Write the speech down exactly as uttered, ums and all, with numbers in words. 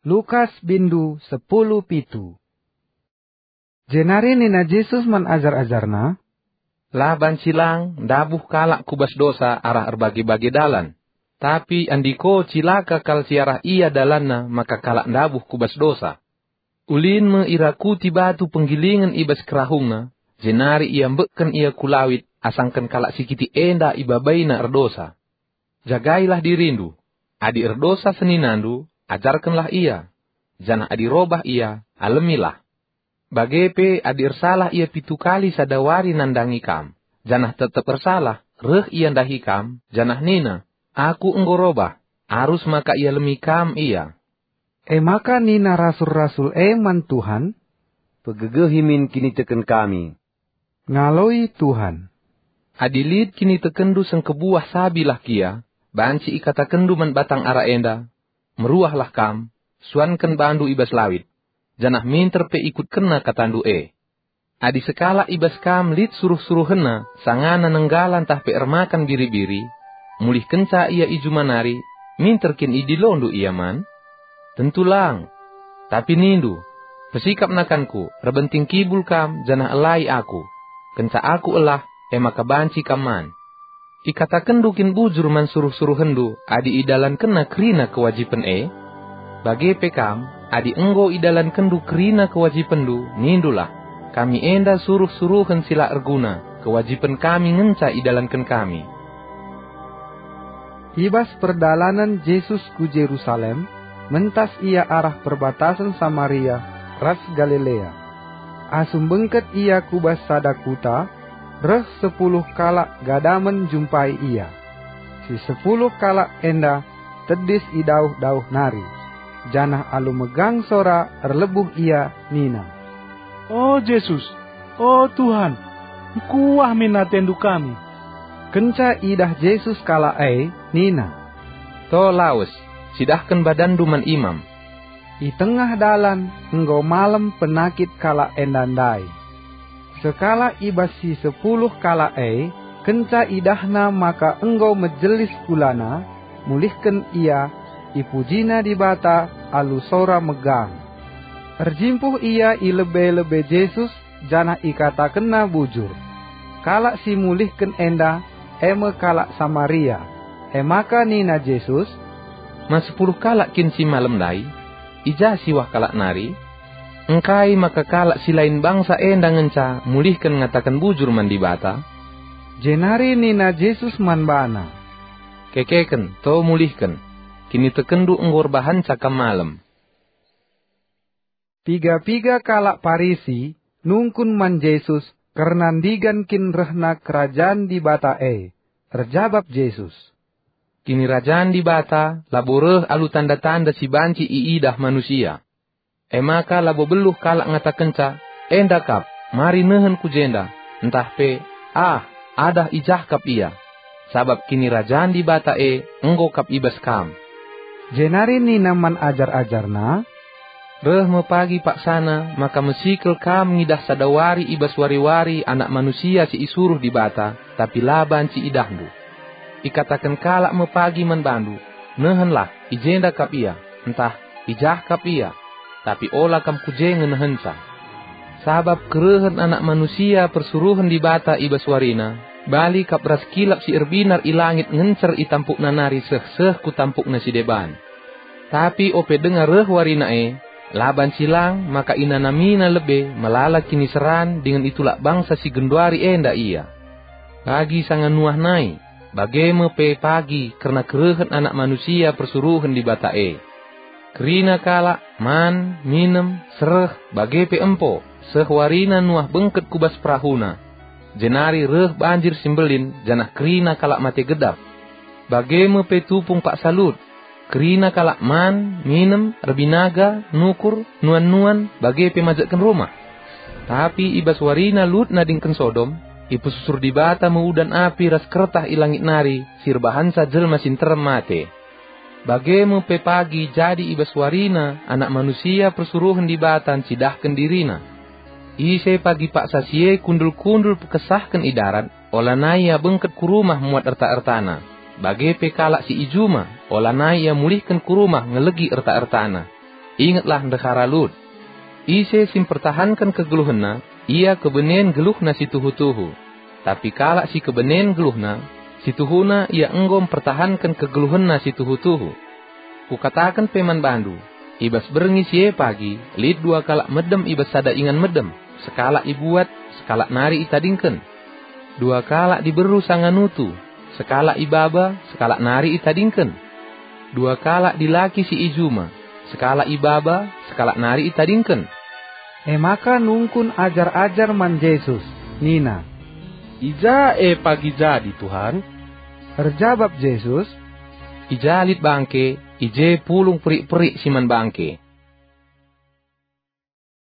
Lukas bindu sepuluh pitu. Jenari nina Jesus man ajar-ajarNa, "La banci lang ndabuh kalak ku bas dosa arah erbage-bage dalan, tapi andiko cilaka kal si arah ia dalanna maka kalak ndabuh ku bas dosa. Ulin me irakuti batu penggilingen i bas kerahungna, jenari iambekken ia ku lawit asangken kalak si kitik enda ibabaina erdosa. Jagailah dirindu. Adi erdosa seninandu, ajarkenlah ia. Janah adi robah ia, alemilah. Bage pe adi ersalah ia pitu kali sada wari nandangi kam, janah tetep ersalah, reh ia ndahi kam, janah nina, 'Aku enggo robah,' arus maka ialemi kam ia." E maka nina rasul-rasul e man Tuhan, "Pegegehi min kiniteken kami." Ngaloi Tuhan, "Adi lit kinitekenndu sengkebuah sabilah kia, banci ikatakenndu man batang ara enda, 'Meruahlah kam, suanken bandu i bas lawit,' janah minter pe ikutkenna katandu e. Adi sekalak i bas kam lit suruh-suruhenna sangana nenggala ntah pe ermakan biri-biri, mulihkenca ia i juma nari, minter kin idilondu ia man? Tentu lang! Tapi nindu, 'Pesikap nakanku, erbenting kibul kam janah elai aku. Kenca aku elah, e maka banci kam man.' Ikatakenndu kin bujur man suruh-suruhenndu adi idalankenna kerina kewajipen e? Bage pe kam, adi enggo idalankenndu kerina kewajipenndu, nindulah, 'Kami enda suruh-suruhen si la erguna, kewajipen kami ngenca idalanken kami.'" I bas perdalanen Jesus ku Jerusalem, mentas ia arah perbatasen Samaria ras Galilea. Asum bengket ia ku bas sada kuta, reh sepuluh kalak gadamen njumpai ia. Si sepuluh kalak enda tedis i dauh-dauh nari, janah alu megang sora erlebuh ia nina, "O Jesus, o Tuhan, ngkuah min atendu kami!" Kenca idah Jesus kalak e, nina, "To lawes, cidahken badanndu man imam." I tengah dalan enggo malem penakit kalak enda ndai. Sekalak i bas si sepuluh kalak e, kenca idahna maka enggo mejelis kulana, mulihken ia, ipujina Dibata alu sora megang. Erjimpuh ia i lebe-lebe Jesus, janah ikatakenna bujur. Kalak si mulihken enda e me kalak Samaria. E maka nina Jesus, "Man sepuluh kalak kin si malem ndai? I ja siwah kalak nari? Engkai maka kalak si lain bangsa enda ngenca mulihken ngataken bujur man Dibata?" Jenari nina Jesus man bana, "Kekeken, to mulihken. Kinitekenndu enggo erbahanca kam malem." Piga-piga kalak Parisi nungkun man Jesus kerna ndigan kin rehna Kerajan Dibata e. Erjabap Jesus, "Kinirajan Dibata labo reh alu tanda-tanda si banci iidah manusia. E maka labo beluh kalak ngatakenca, 'Enda kap, mari nehen ku jenda,' ntah pe, 'Ah, adah i jah kap ia,' sabap Kinirajan Dibata e enggo kap i bas kam." Jenari nina man ajar-ajarNa, "Reh me pagi paksana maka mesikel kam ngidah sada wari i bas wari-wari Anak Manusia si isuruh Dibata, tapi la banci idahndu. Ikataken kalak me pagi man bandu, 'Nehenlah, i jenda kap ia,' ntah, 'I jah kap ia,' tapi ola kam ku je nge nehenca. Sabap kerehen Anak Manusia persuruhen Dibata i bas warina, bali kap ras kilap si erbinar i langit ngencer i tampukna nari seh-seh ku tampukna si deban. Tapi ope denga reh warina e, la banci lang maka inanamina lebe melala kiniseran dingen itulak bangsa si genduari enda ia. Bagi sanga Nuah nai, bage me pe pagi kerna kerehen Anak Manusia persuruhen Dibata e. Kerina kalak man, minem, sereh, bage pe empo, seh warina Nuah bengket ku bas perahuna. Jenari reh banjir si mbelin, janah kerina kalak mate gedap. Bage me pe tupung paksa Lut. Kerina kalak man, minem, erbinaga, nukur, nuan-nuan, bage pe majekken rumah. Tapi i bas warina Lut nadingken Sodom, ipesusur Dibata me udan api ras kertah i langit nari si erbahanca jelma si nterem mate. Bage me pe pagi jadi i bas warina Anak Manusia persuruhen Dibata ncidahken diriNa. Ise pagi paksa si e kundul-kundul pekesahken i darat, olanai ia bengket ku rumah muat erta-ertana. Bage pe kalak si i juma, olanai ia mulihken ku rumah ngelegi erta-ertana. Ingetlah ndehara Lut. Ise si mpertahanken kegeluhenna, ia kebenen geluhna si tuhu-tuhu. Tapi kalak si kebenen geluhna, si tuhuna ia enggo mpertahanken kegeluhenna si tuhu-tuhu. Kukataken pe man bandu, i bas berngi si e pagi lit dua kalak medem i bas sada ingan medem, sekalak ibuat, sekalak nari itadingken. Dua kalak diberu sanga nutu, sekalak ibaba, sekalak nari itadingken. Dua kalak dilaki si i juma, sekalak ibaba, sekalak nari itadingken." E maka nungkun ajar-ajar man Jesus, nina, "I ja e pagi jadi, Tuhan?" Erjabap Jesus, "I ja lit bangke, i je pulung perik-perik si man bangke.